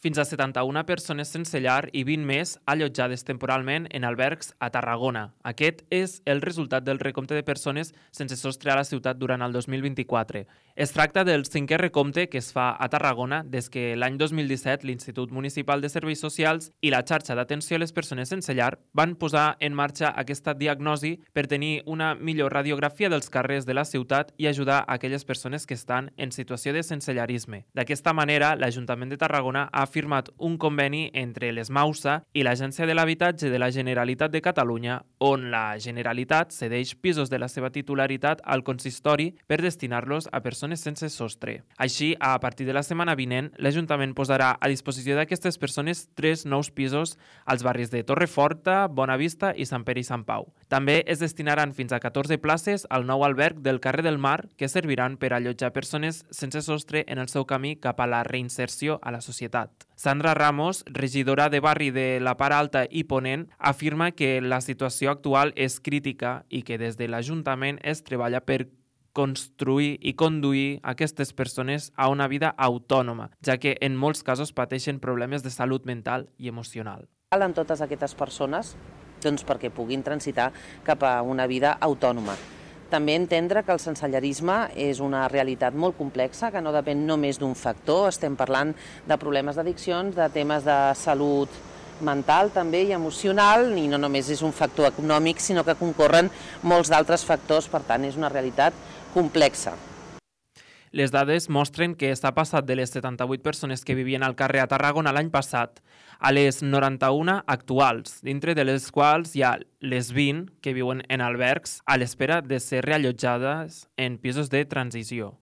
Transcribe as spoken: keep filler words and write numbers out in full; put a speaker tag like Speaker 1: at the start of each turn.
Speaker 1: Fins a setanta-una persones sense llar i vint més allotjades temporalment en albergs a Tarragona. Aquest és el resultat del recompte de persones sense sostre a la ciutat durant el dos mil vint-i-quatre. Es tracta del cinquè recompte que es fa a Tarragona des que l'any dos mil disset l'Institut Municipal de Serveis Socials i la xarxa d'atenció a les persones sense llar van posar en marxa aquesta diagnosi per tenir una millor radiografia dels carrers de la ciutat i ajudar a aquelles persones que estan en situació de sensellarisme. D'aquesta manera, l'Ajuntament de Tarragona ha firmat un conveni entre l'ESMAUSA i l'Agència de l'Habitatge de la Generalitat de Catalunya, on la Generalitat cedeix pisos de la seva titularitat al consistori per destinar-los a persones sense sostre. Així, a partir de la setmana vinent, l'Ajuntament posarà a disposició d'aquestes persones tres nous pisos als barris de Torreforta, Bonavista i Sant Pere i Sant Pau. També es destinaran fins a catorze places al nou alberg del carrer del Mar, que serviran per allotjar persones sense sostre en el seu camí cap a la reinserció a la societat. Sandra Ramos, regidora de barri de la Part Alta i Ponent, afirma que la situació actual és crítica i que des de l'Ajuntament es treballa per construir i conduir aquestes persones a una vida autònoma, ja que en molts casos pateixen problemes de salut mental i emocional.
Speaker 2: En totes aquestes persones doncs, perquè puguin transitar cap a una vida autònoma. També entendre que el sensellarisme és una realitat molt complexa, que no depèn només d'un factor. Estem parlant de problemes d'addiccions, de temes de salut mental també i emocional, i no només és un factor econòmic, sinó que concorren molts d'altres factors, per tant és una realitat complexa.
Speaker 1: Les dades mostren que s'ha passat de les setanta-vuit persones que vivien al carrer a Tarragona l'any passat a les noranta-una actuals, dintre de les quals hi ha les vint que viuen en albergs a l'espera de ser reallotjades en pisos de transició.